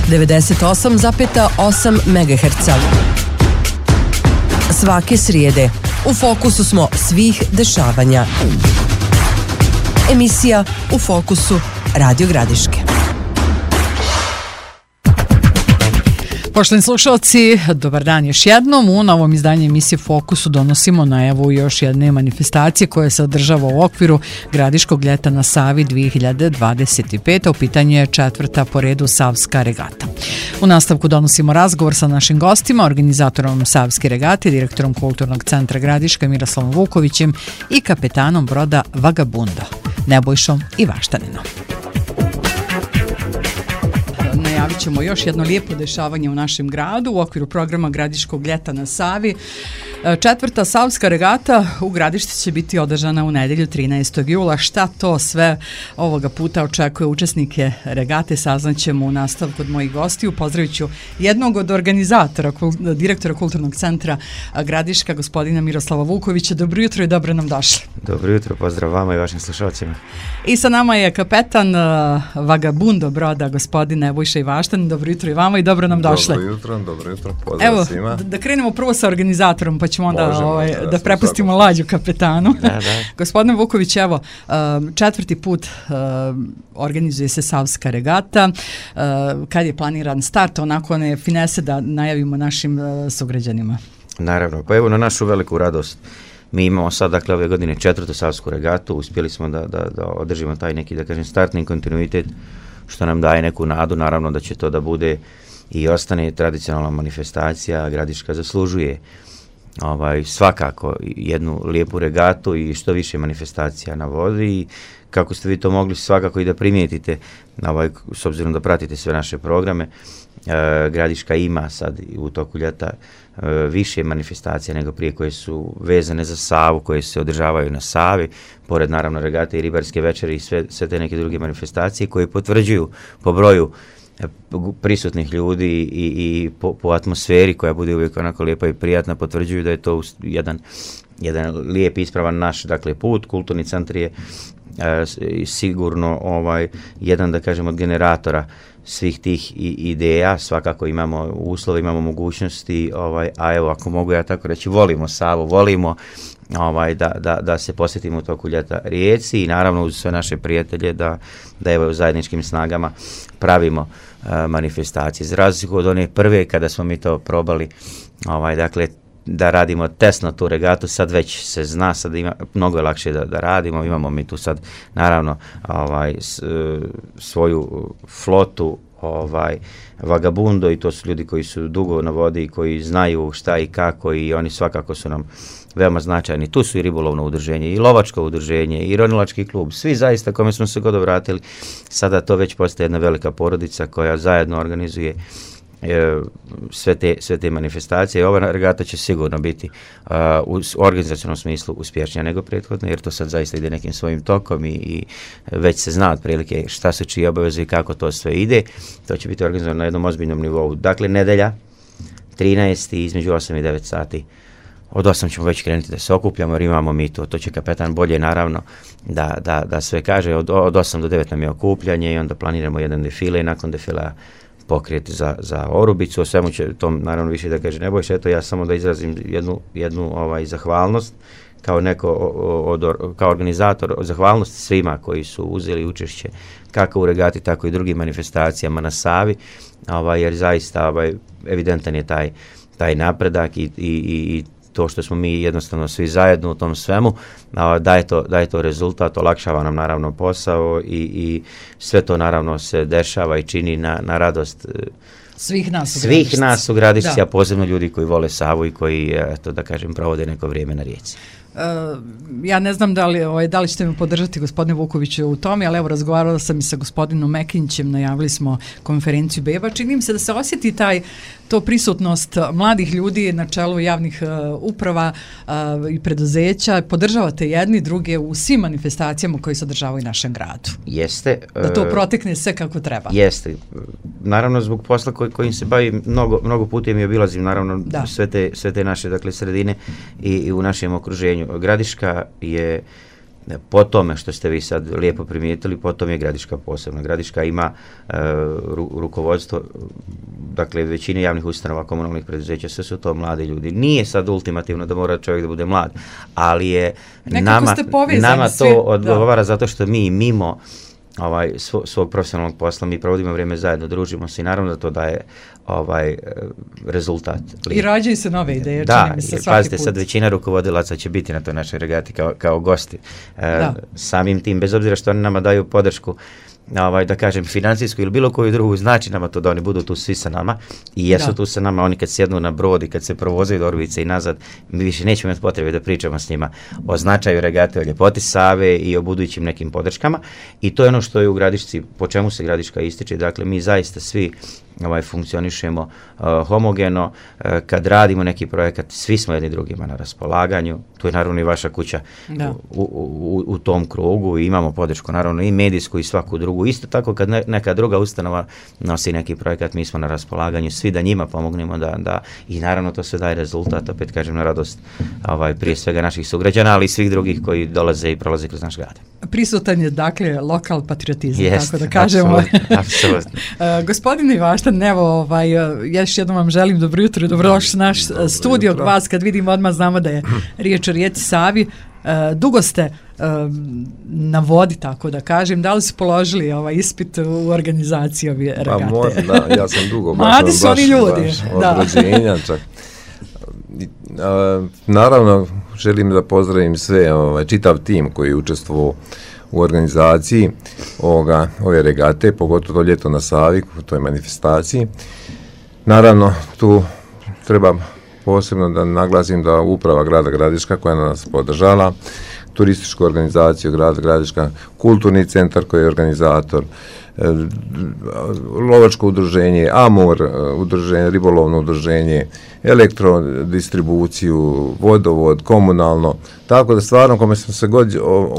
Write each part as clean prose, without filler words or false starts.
98,8 MHz. Svake srijede u fokusu smo svih dešavanja. Emisija U fokusu Radio Gradiške. Poštovani slušalci, dobar dan još jednom. U novom izdanju emisije Fokusu donosimo najavu još jedne manifestacije koja se održava u okviru Gradiškog ljeta na Savi 2025. U pitanju je 4. po redu Savska regata. U nastavku donosimo razgovor sa našim gostima, organizatorom Savske regate, direktorom Kulturnog centra Gradiška Miroslavom Vukovićem i kapetanom broda Vagabundo, Nebojšom Ivaštaninom. Najavit ćemo još jedno lijepo dešavanje u našem gradu u okviru programa Gradiškog ljeta na Savi. 4. Savska regata u Gradišti će biti održana u nedjelju 13. jula. Šta to sve ovoga puta očekuje učesnike regate, saznaćemo u nastavku od mojih gostiju. Pozdravit ću jednog od organizatora, direktora Kulturnog centra Gradiška, gospodina Miroslava Vukovića. Dobro jutro i dobro nam došli. Dobro jutro, pozdrav vama i vašim slušalcima. I sa nama je kapetan Vagabundo broda, gospodin Nebojša Ivaštanin. Dobro jutro i vama i dobro nam došli. Dobro jutro, pozdrav svima. Evo, da krenemo prvo sa organizatorom, pa ćemo onda da prepustimo lađu kapetanu. Da. Gospodine Vuković, evo, 4. put organizuje se Savska regata. Kad je planiran start, onako one finese da najavimo našim sugrađanima? Naravno, pa evo na našu veliku radost. Mi imamo sad, dakle, ove godine 4. Savsku regatu. Uspjeli smo da održimo taj neki, da kažem, startni kontinuitet, što nam daje neku nadu. Naravno da će to da bude i ostane tradicionalna manifestacija. Gradiška zaslužuje svakako jednu lijepu regatu i što više manifestacija na vodi i kako ste vi to mogli svakako i da primijetite, s obzirom da pratite sve naše programe, Gradiška ima sad u toku ljeta više manifestacija nego prije koje su vezane za Savu, koje se održavaju na Savi, pored naravno regate i ribarske večeri i sve te neke druge manifestacije koje potvrđuju po broju prisutnih ljudi i po atmosferi koja bude uvijek onako lijepa i prijatna, potvrđuju da je to jedan lijep ispravan naš, dakle, put. Kulturni centar je sigurno jedan, da kažem, od generatora svih tih ideja. Svakako imamo uslove, imamo mogućnosti, a evo, ako mogu ja tako reći, volimo Savu, volimo da se posjetimo u toku ljeta Rijeci i naravno uz sve naše prijatelje da evo u zajedničkim snagama pravimo manifestacije. Za razliku od one prve kada smo mi to probali, dakle, da radimo testno tu regatu, sad već se zna, sad mnogo je lakše da radimo. Imamo mi tu sad naravno svoju flotu Vagabundo i to su ljudi koji su dugo na vodi i koji znaju šta i kako i oni svakako su nam veoma značajni. Tu su i ribolovno udruženje, i lovačko udruženje, i ronilački klub, svi zaista kome smo se god obratili. Sada to već postaje jedna velika porodica koja zajedno organizuje sve te manifestacije. Ova regata će sigurno biti u organizacionom smislu uspješnija nego prethodna, jer to sad zaista ide nekim svojim tokom i već se zna otprilike šta su čije obaveze i kako to sve ide. To će biti organizovano na jednom ozbiljnom nivou. Dakle, nedelja 13. između 8 i 9 sati. Od 8 ćemo već krenuti da se okupljamo jer imamo mi to će kapetan bolje naravno da sve kaže. Od 8 do 9 nam je okupljanje i onda planiramo jedan defile i nakon defila pokret za Orubicu. O svemu će tom naravno više da kaže Nebojša. Eto, ja samo da izrazim jednu zahvalnost kao organizator, zahvalnost svima koji su uzeli učešće kako u regati, tako i drugim manifestacijama na Savi, jer zaista evidentan je taj napredak i to što smo mi jednostavno svi zajedno u tom svemu, daje to rezultat, olakšava nam naravno posao i sve to naravno se dešava i čini na radost svih nas u Gradišci, a posebno ljudi koji vole Savu i koji, eto da kažem, provode neko vrijeme na rijeci. Ja ne znam da li ćete me podržati, gospodine Vukoviću, u tome, ali evo, razgovarala sam i sa gospodinom Mekinćem, najavili smo konferenciju Beba. Čini mi se da se osjeti to prisutnost mladih ljudi na čelu javnih uprava i preduzeća. Podržavate jedni druge u svim manifestacijama koje se održavaju u našem gradu. Jeste. Da to protekne sve kako treba. Jeste. Naravno, zbog posla kojim se bavim, mnogo puta mi obilazim, naravno, sve te naše, dakle, sredine i u našem okruženju. Gradiška je Po tome što ste vi sad lijepo primijetili, potom je Gradiška posebna. Gradiška ima rukovodstvo, dakle većine javnih ustanova, komunalnih preduzeća, sve su to mladi ljudi. Nije sad ultimativno da mora čovjek da bude mlad, ali je nama to odgovara zato što mi mimo svog profesionalnog posla, mi provodimo vrijeme zajedno, družimo se i naravno da to daje rezultat. I rađaju se nove ideje, čini mi se svaki pazite, put. Sad većina rukovodilaca će biti na toj našoj regati kao gosti. Samim tim, bez obzira što oni nama daju podršku, da kažem, financijsku ili bilo koju drugu, znači nama to da oni budu tu svi sa nama i jesu tu sa nama. Oni kad sjednu na brod i kad se provozaju do Orvice i nazad, mi više nećemo imati potrebe da pričamo s njima o značaju regate, o ljepoti Save i o budućim nekim podrškama, i to je ono što je u Gradišci, po čemu se Gradiška ističe. Dakle, mi zaista svi funkcionišemo homogeno, kad radimo neki projekat, svi smo jedni drugima na raspolaganju. Tu je naravno i vaša kuća u tom krugu i imamo podršku naravno i medijsku i svaku drugu. Isto tako kad neka druga ustanova nosi neki projekat, mi smo na raspolaganju svi da njima pomognemo da i naravno to sve daje rezultat, opet kažem, na radost prije svega naših sugrađana, ali i svih drugih koji dolaze i prolaze kroz naš grad. Prisutan je dakle lokal patriotizam, tako da kažemo. Apsolutno. Gospodine Ivaštan, evo, ja još jednom vam želim dobro jutro i dobrodošli naš studio. Vas kad vidimo odmah znamo da je riječ o rijeci Savi. Dugo ste na vodi, tako da kažem. Da li su položili ispit u organizaciji ove regate? Pa možda, ja sam dugo. Mladi su oni ljudi. Od rođenja čak. Naravno, želim da pozdravim sve, čitav tim koji je učestvovao u organizaciji ove regate, pogotovo to ljeto na Savi, u toj manifestaciji. Naravno, tu treba posebno da naglasim da uprava grada Gradiška koja nas podržala, turističku organizaciju grada Gradiška, kulturni centar koji je organizator, lovačko udruženje, Amur, ribolovno udruženje, elektrodistribuciju, vodovod, komunalno, tako da stvarno kome smo se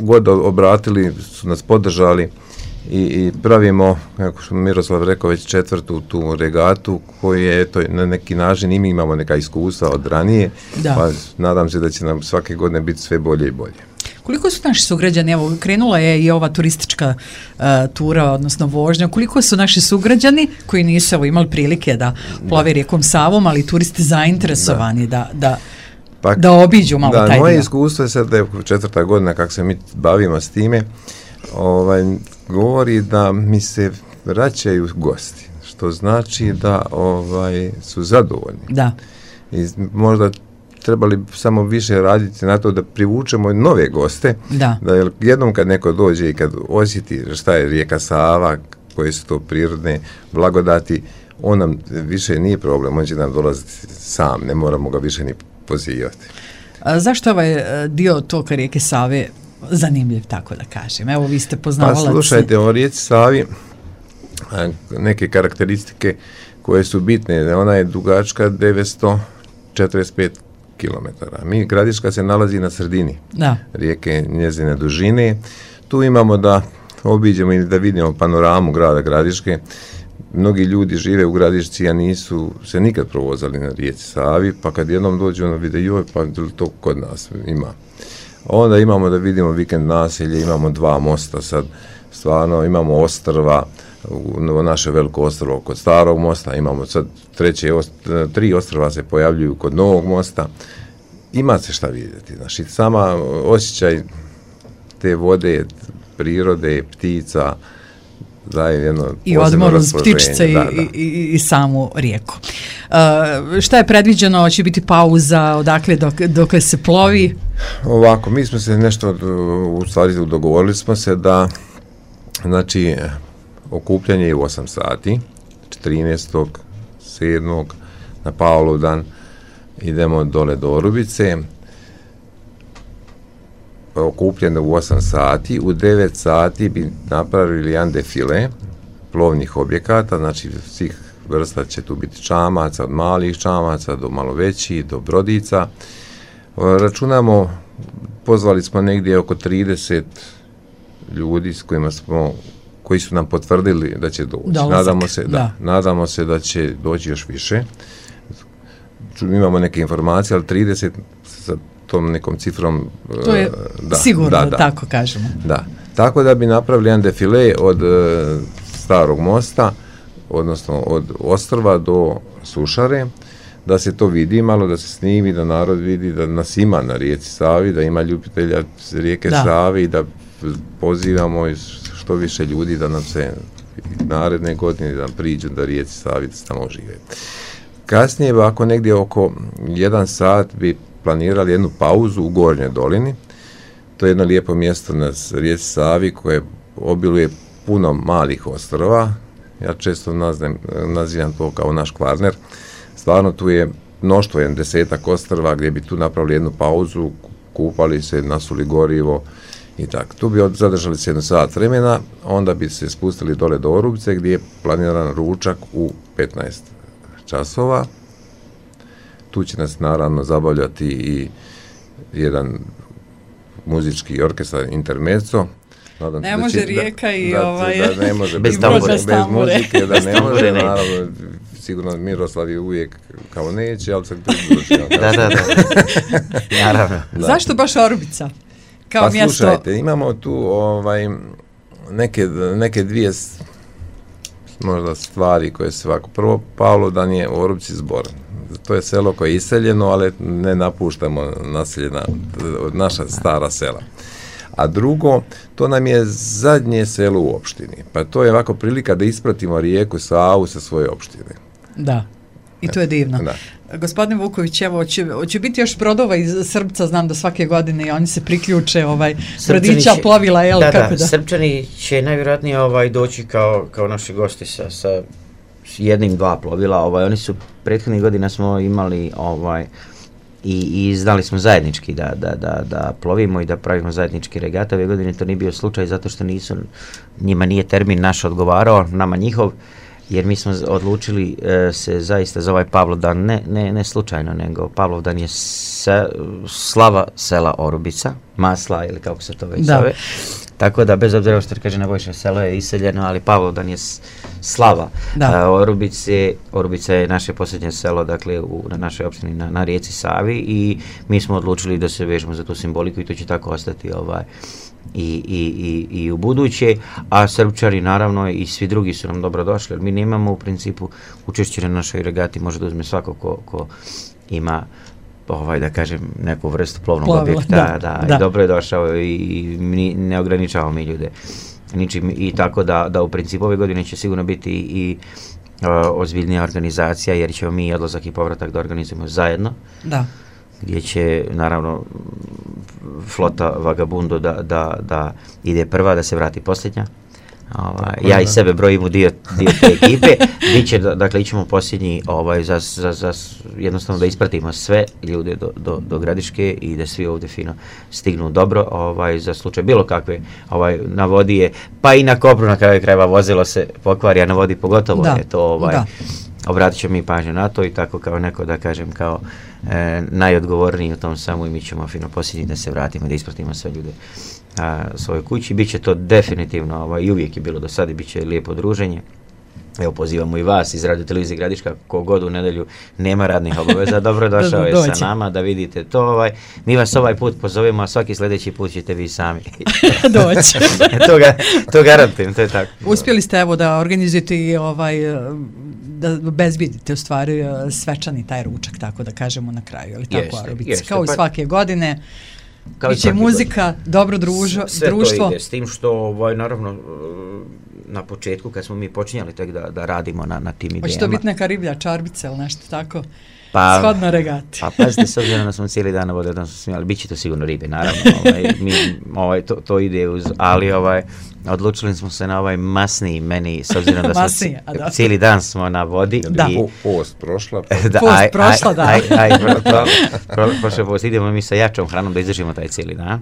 god obratili su nas podržali i pravimo, kako što Miroslav rekao, već 4. tu regatu koju je na neki način i mi imamo neka iskustva od ranije, pa nadam se da će nam svake godine biti sve bolje i bolje. Koliko su naši sugrađani, evo krenula je i ova turistička tura, odnosno vožnja, koliko su naši sugrađani koji nisu imali prilike da plove rijekom Savom, ali turisti zainteresovani da obiđu malo taj dio? Moje iskustvo je sad da je 4. godina kako se mi bavimo s time, govori da mi se vraćaju gosti, što znači da su zadovoljni. Da. I možda trebali samo više raditi na to da privučemo nove goste, da jednom kad neko dođe i kad osjeti šta je rijeka Sava, koje su to prirodne blagodati, on nam više nije problem, on će nam dolaziti sam, ne moramo ga više ni pozivati. Zašto ovaj dio toka rijeke Save zanimljiv, tako da kažem? Evo, vi ste poznavalac. Pa slušajte, o rijeci Savi neke karakteristike koje su bitne. Ona je dugačka 945 kilometara. Gradiška se nalazi na sredini rijeke, njezine dužine. Tu imamo da obiđemo i da vidimo panoramu grada Gradiške. Mnogi ljudi žive u Gradišci, a nisu se nikad provozali na rijeci Savi, pa kad jednom dođu ono vide, joj, pa to kod nas ima. Onda imamo da vidimo vikend naselje, imamo 2 mosta sad, stvarno imamo ostrva, naše veliko ostrvo kod starog mosta, imamo sad 3 ostrva se pojavljuju kod novog mosta, ima se šta vidjeti, znači sama osjećaj te vode, prirode, ptica, daje jedno i odmor uz ptičice i samu rijeku. Šta je predviđeno, hoće biti pauza, odakle dok se plovi? Ovako, mi smo se nešto, u stvari dogovorili smo se da, znači, okupljanje je u 8 sati, 13.7. na Pavlov dan idemo dole do Orubice, okupljeno u 8 sati, u 9 sati bi napravili jedan defile plovnih objekata, znači svih vrsta će tu biti čamaca, od malih čamaca do malo većih, do brodica. Računamo, pozvali smo negdje oko 30 ljudi s koji su nam potvrdili da će doći. Nadamo se da će doći još više. Imamo neke informacije, ali 30 tom nekom cifrom. To je sigurno, tako kažemo. Da, tako da bi napravili jedan defile od Starog mosta, odnosno od Ostrva do Sušare, da se to vidi malo, da se snimi, da narod vidi da nas ima na rijeci Savi, da ima ljubitelja rijeke Save i da pozivamo što više ljudi da nam se naredne godine da nam priđu da rijeci Savi da se tamo žive. Kasnije, ako negdje oko 1 sat bi planirali jednu pauzu u Gornjoj dolini. To je jedno lijepo mjesto na rijeci Savi koje obiluje puno malih ostrova. Ja često nazivam to kao naš Kvarner. Stvarno tu je mnoštvo, 10 ostrva gdje bi tu napravili jednu pauzu, kupali se, nasuli gorivo i tako. Tu bi zadržali se 1 sat vremena, onda bi se spustili dole do Orubice gdje je planiran ručak u 15 časova. Tu će nas naravno zabavljati i jedan muzički orkestar Intermezzo. Ne može Rijeka i da ne može bez muzike, da ne može, naravno, sigurno Miroslav je uvijek kao neće, ali se pridružio. Da. Naravno. Zašto baš Orubica? Kao mjesto? Slušajte, imamo tu neke dvije možda stvari koje se ovako. Prvo, Pavlovdan je u Orubici zbor. To je selo koje je iseljeno, ali ne napuštamo naseljena naša stara sela. A drugo, to nam je zadnje selo u opštini. Pa to je ovako prilika da ispratimo rijeku Savu sa svoje opštine. Da, i to je divno. Da. Gospodine Vuković, evo, hoće biti još brodova iz Srbca, znam da svake godine i oni se priključe, brodića, plovila, jel? Da, Srpčani će najvjerojatnije doći kao naši gosti sa 1-2 plovila. Oni su prethodnih godina smo imali i znali smo zajednički da plovimo i da pravimo zajednički regate. Ove godine to nije bio slučaj zato što njima nije termin naš odgovarao, nama njihov, jer mi smo odlučili se zaista za ovaj Pavlovdan, ne slučajno, nego Pavlovdan je slava sela Orubica, masla ili kako se to već zove. Tako da, bez obzira što kaže Nebojša, selo je iseljeno, ali Pavlovdan je slava Orubice. Orubica je naše posljednje selo, dakle, na našoj opštini na rijeci Savi i mi smo odlučili da se vežemo za tu simboliku i to će tako ostati i u buduće, a Srpčari naravno i svi drugi su nam dobro došli, jer mi nemamo u principu učešće na našoj regati, može da uzme svako ko ima da kažem, neku vrstu plovnog objekta, i dobro je došao i ne ograničavamo mi ljude ničim i tako da u principu ove godine će sigurno biti i ozbiljnija organizacija, jer ćemo mi odlazak i povratak da organizujemo zajedno. Da. Gdje će naravno flota Vagabundo da ide prva, da se vrati posljednja. Ja i sebe brojim u dio te ekipe. Dakle, ićemo posljednji za jednostavno da ispratimo sve ljude do Gradiške i da svi ovdje fino stignu dobro za slučaj bilo kakve na vodi je, pa i na kopru na kraju krajeva vozilo se pokvari, a na vodi pogotovo je to obratit ćemo mi pažnju na to i tako kao neko da kažem kao najodgovorniji u tom samu i mi ćemo fino posljednji da se vratimo, da ispratimo sve ljude svojoj kući. Biće to definitivno i uvijek je bilo do sada i bit će lijepo druženje. Evo, pozivamo i vas iz Radio Televizije Gradiška, kogod u nedelju nema radnih obaveza, dobrodošao je sa nama da vidite to. Mi vas ovaj put pozovemo, a svaki sljedeći put ćete vi sami doći. To garantujem, to je tako. Uspjeli ste evo da organizujete i da obezbedite u stvari svečani taj ručak, tako da kažemo na kraju, ali tako Arobici, kao i svake godine. Biće muzika, dobro društvo. Sve to ide, s tim što naravno na početku kad smo mi počinjali tek da radimo na tim idejama. Hoće to biti neka riblja čarbica ili nešto tako? Shodno regati. Pa pazite, s obzirom da smo cijeli dan na vode, da smo smijali, bit će to sigurno ribe, naravno. To ide uz, ali odlučili smo se na masniji meni, s obzirom da smo cijeli dan smo na vodi. Da. Post prošla. Post prošla, da. Prošle post, idemo mi sa jačom hranom da izdržimo taj cijeli dan.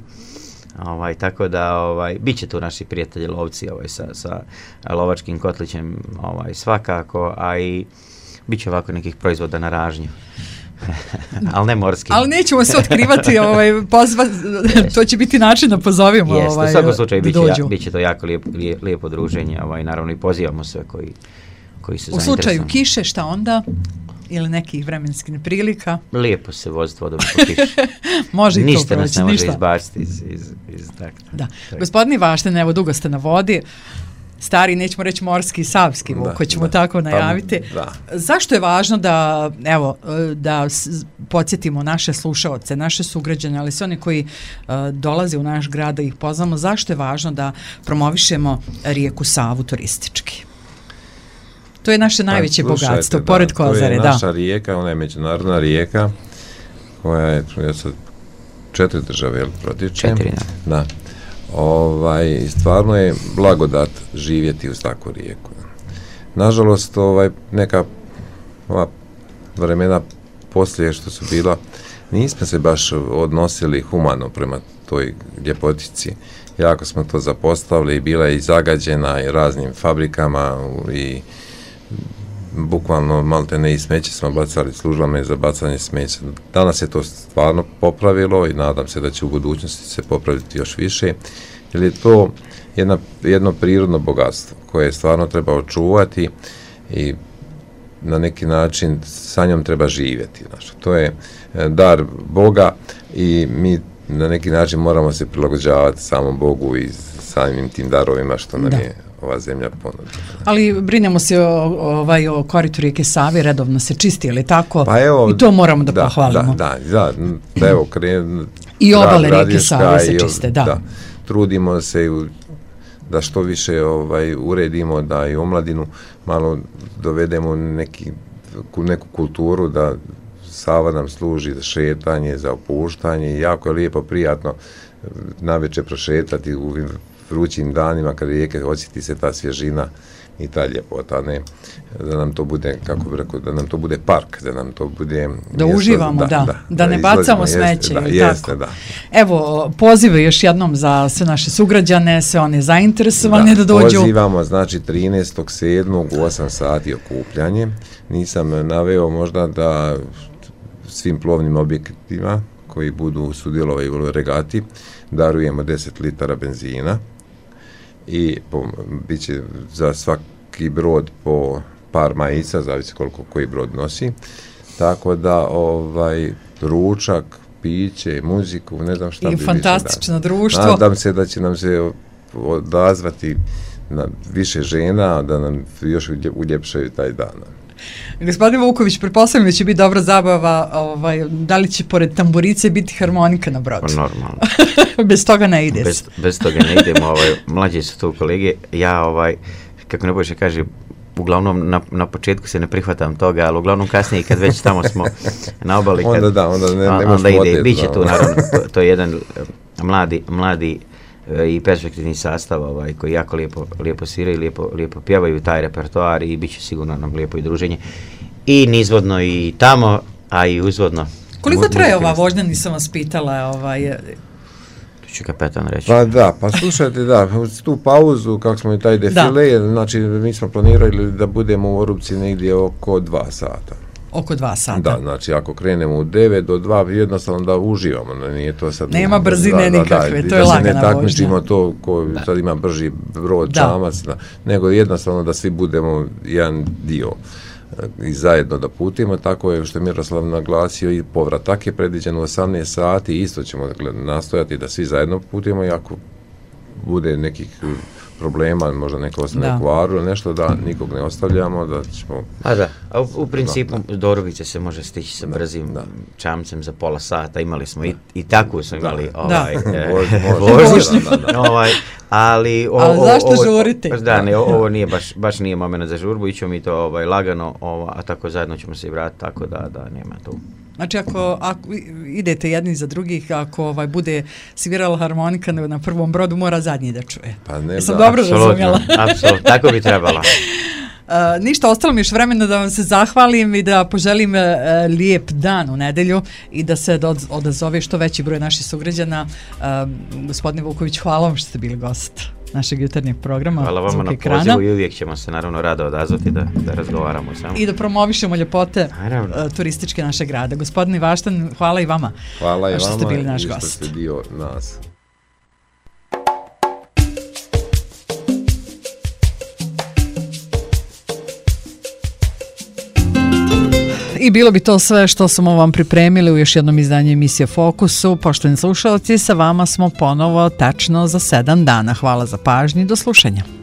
Tako da bit će tu naši prijatelji lovci sa lovačkim kotlićem svakako, a i bit će ovako nekih proizvoda na ražnju. Ali ne morski. Ali nećemo se otkrivati, to će biti način da pozovimo. Jeste, u svakom slučaju bit će to jako lijepo druženje, naravno i pozivamo sve koji se zainteresuju. U slučaju kiše, šta onda? ili nekih vremenskih neprilika. Lijepo se voziti vodom po kiši. Može i to Ništa nas proći, ne može ništa. izbaciti iz takta. Da. Gospodin Vašten, evo dugo ste na vodi, stari, nećemo reći morski i savski vuk, koji ćemo tako najaviti. Da. Zašto je važno da, evo, da podsjetimo naše slušaoce, naše sugrađane, ali sve oni koji dolaze u naš grad da ih poznamo, zašto je važno da promovišemo rijeku Savu turistički? To je naše najveće bogatstvo, pored Kozare. To je naša rijeka, ona je međunarodna rijeka koja je sad 4 države protiče. 4, da. Stvarno je blagodat živjeti uz takvu rijeku. Nažalost, neka vremena poslije što su bila, nismo se baš odnosili humano prema toj ljepotici. Jako smo to zapostavili i bila je i zagađena i raznim fabrikama i bukvalno maltene i smeće smo bacali, službama je za bacanje smeća. Danas je to stvarno popravilo i nadam se da će u budućnosti se popraviti još više, jer je to jedno prirodno bogatstvo koje stvarno treba očuvati i na neki način sa njom treba živjeti. Znači, to je dar Boga i mi na neki način moramo se prilagođavati samom Bogu i samim tim darovima što nam je ova zemlja ponudila. Ali brinemo se o koritu rijeke Save, redovno se čisti, ali tako? Pa evo, i to moramo da pohvalimo. Da, evo, i obale rijeke Save se čiste, da. Trudimo se da što više uredimo, da i omladinu malo dovedemo neku kulturu, da Sava nam služi za šetanje, za opuštanje i jako je lijepo, prijatno navečer prošetati u vrućim danima kad rijeke osjeti se ta svježina i ta ljepota, ne, da nam to bude, kako bi rekao, da nam to bude park, da nam to bude da mjesto, uživamo, da ne bacamo smeće. Jeste, da. Evo, pozive još jednom za sve naše sugrađane, sve one zainteresovane da dođu. Pozivamo, znači 13.7. u 8 sati okupljanje. Nisam naveo možda da svim plovnim objektima koji budu sudjelovali u regati darujemo 10 litara benzina i bit će za svaki brod po par majica, zavisi koliko koji brod nosi, tako da ručak, piće, muziku, ne znam šta bi više. I fantastično društvo. Nadam se da će nam se odazvati na više žena, da nam još uljepšaju taj dan. Gospodin Vuković, pretpostavljam da će biti dobra zabava, da li će pored tamburice biti harmonika na brodu? Normalno. Bez toga ne ide. Bez toga ne idemo, mlađi su tu kolege, ja kako ne bojiš kaže, uglavnom na početku se ne prihvatam toga, ali uglavnom kasnije kad već tamo smo na obali, onda ide, bit će tu naravno, to je jedan mladi i perspektivni sastav koji jako lijepo sviraju, lijepo pjevaju taj repertoar i bit će sigurno nam lijepo i druženje i nizvodno i tamo, a i uzvodno. Koliko traje ova vožnja, nisam vas pitala? Tu ću kapetan reći. Pa slušajte, tu pauzu, kako smo i taj defile, znači mi smo planirali da budemo u Orupci negdje oko 2 sata. Oko 2 sata. Da, znači ako krenemo u 9 do 2, jednostavno da uživamo, nije to sad... Nema brzine nikakve, to je lagana vožnja. Da se ne takmičimo to ko sad ima brži brod, čamac, nego jednostavno da svi budemo jedan dio i zajedno da putimo, tako je što je Miroslav naglasio i povratak je predviđen u 18 sati, isto ćemo nastojati da svi zajedno putimo i ako bude nekih problema, možda neko ostane u kvaru ili nešto, da nikog ne ostavljamo, da ćemo... A u principu do Orubice se može stići sa brzim čamcem za pola sata, imali smo i takvu smo imali vožnju, ali zašto žurite? Ovo nije baš nije moment za žurbu, ićemo mi to lagano, a tako zajedno ćemo se i vratiti, tako da nema tu. Znači, ako idete jedni za drugih, ako bude svirala harmonika na prvom brodu, mora zadnji da čuje. Pa ne, sam dobro razumjela. Apsolutno, tako bi trebalo. Ništa, ostalo mi još vremena da vam se zahvalim i da poželim lijep dan u nedelju i da se odazove što veći broj naših sugrađana. Gospodine Vuković, hvala vam što ste bili gost našeg jutarnjeg programa. Hvala vama na pozivu i uvijek ćemo se naravno rado odazvati da razgovaramo samo. I da promovišemo ljepote turističke našeg grada. Gospodine Vašten, hvala i vama. Hvala i vama što ste bili naš i gost. Što ste dio nas. I bilo bi to sve što smo vam pripremili u još jednom izdanju emisije Fokusu. Poštovani slušalci, sa vama smo ponovo tačno za 7 dana. Hvala za pažnju i do slušanja.